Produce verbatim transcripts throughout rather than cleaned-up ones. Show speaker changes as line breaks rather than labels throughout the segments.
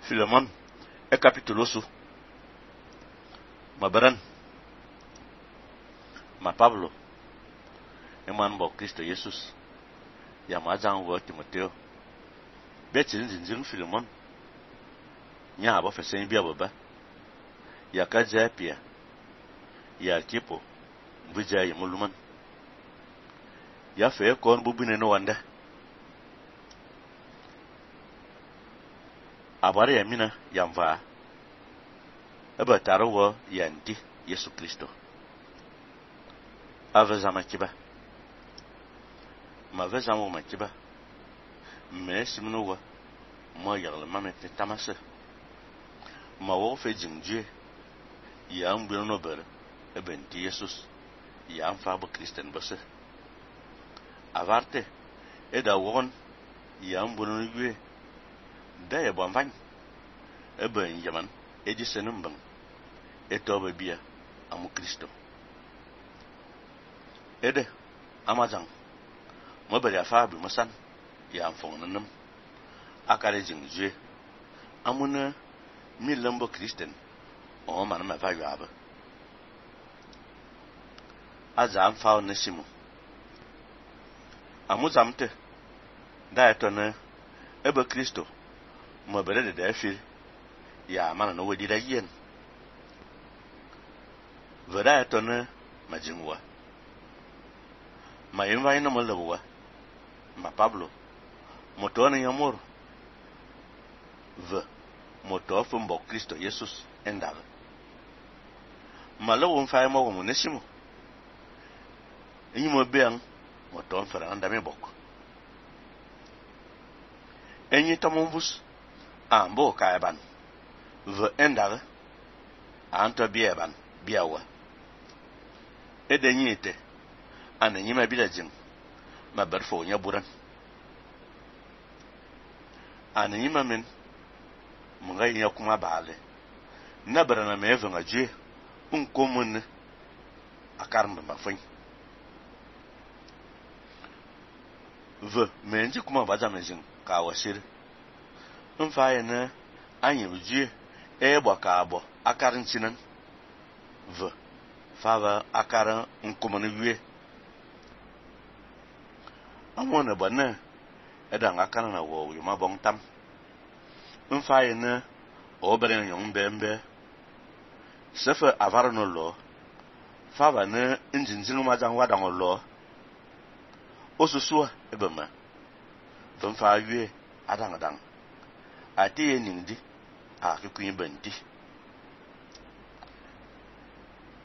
Filemon e capítulo su. Mabaran. Ma Pablo. Eman bo Cristo Jesus. Ya mazan wo Timoteo. Betin zinzin Filemon. Nya abo fesen bia baba. Ya kaja pia. Ya kipo. Mbuja ya muluman. Ya fe kon bubine no wanda. Abare ya mina ya mva. Eba taro wo ya ndi Yesu Kristo. Aveza makiba. Ma veza mo makiba. Me simno wa. Mo yagle mame te tamase. Ma wo fe jingje. Ya mbino no bere. Ebe ndi Jesus. Ya mfa bo Christian bose. Avarte. Eda won. Ya mbino no yue. Da ye bon vany. Ebe nyaman. Eji senumban. Eto be bia. Amu Kristo. Ede. Amazang. Mobile afa bi masan. Ya mfong nanam. Akare jingje. Amuna. Mi lambo Christian. O man ma va yabe. Aza amfa onesimu. Amu zamte. Da eto ne. Ebe Kristo. Mobile de defi. Ya mana no wedi da yen. Veda eto ne. Majingwa. Ma yinva ina malabuwa. Ma Pablo. Moto na yamor. V. Moto fumbo Kristo Jesus endaga. Ma lawo mfa mo wo nesimo. Enyi mo beang moto mfara andame bok. Enyi tamombus ambo kaiban. V endaga. Anto bieban biawa. Edenyi ite. Ana nyima bilajin ma barfo nya buran ana nyima men munga nya kuma baale na barana me venga je un komun akarmba mafin v menji kuma baza mejin ka wasir un faye na anyi buje e gbo ka abo akarin chinan v fava akaran un komun wie amona bana eda ngakana na wo yuma bong tam mfaye na obere nyong mbembe sefe avara no lo fava na njinjin ma jan wada ngolo osusua ebema mfa yue adang adang ati ye ningdi a kikuyin benti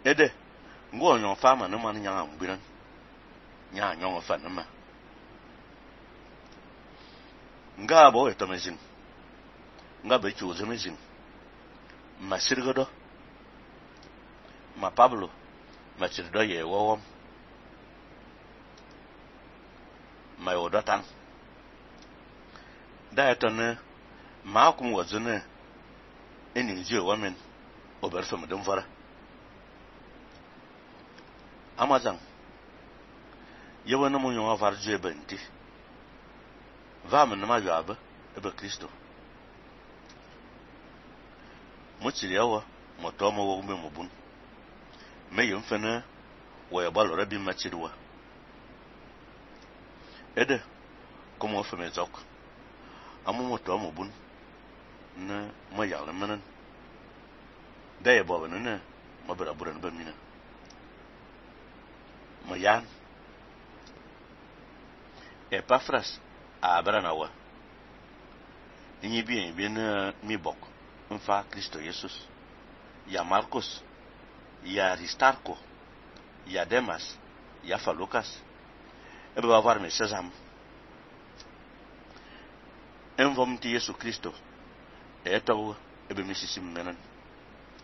ede ngo nyon fama no man nyanga mbiran nya nyong fa na ma nga bo eto mezin nga be chuzo mezin ma sirgodo ma Pablo ma sirdo ye wowom ma yodotan da eto ne ma kum wazune eni je women oberso medum vara amazan yewona mo nyon avarje benti Vamos numa joaba, ebe Kristo. Mochiri yawa, motoma wo umbe mobun. Me yumfene, wo yabalo rabi machiriwa. Ede, komo feme zok. Amu motoma mobun. Na mo yale menen. Da ye boba nene, mo bera buran ba mina. Mo yan. Epafras. Abra nawa inyi bien bien mi bok mfa Kristo Jesus ya Marcos ya Aristarco ya Demas ya fa Lucas ebe ba var me sesam envom ti Yesu Kristo eto ebe mi sisim menan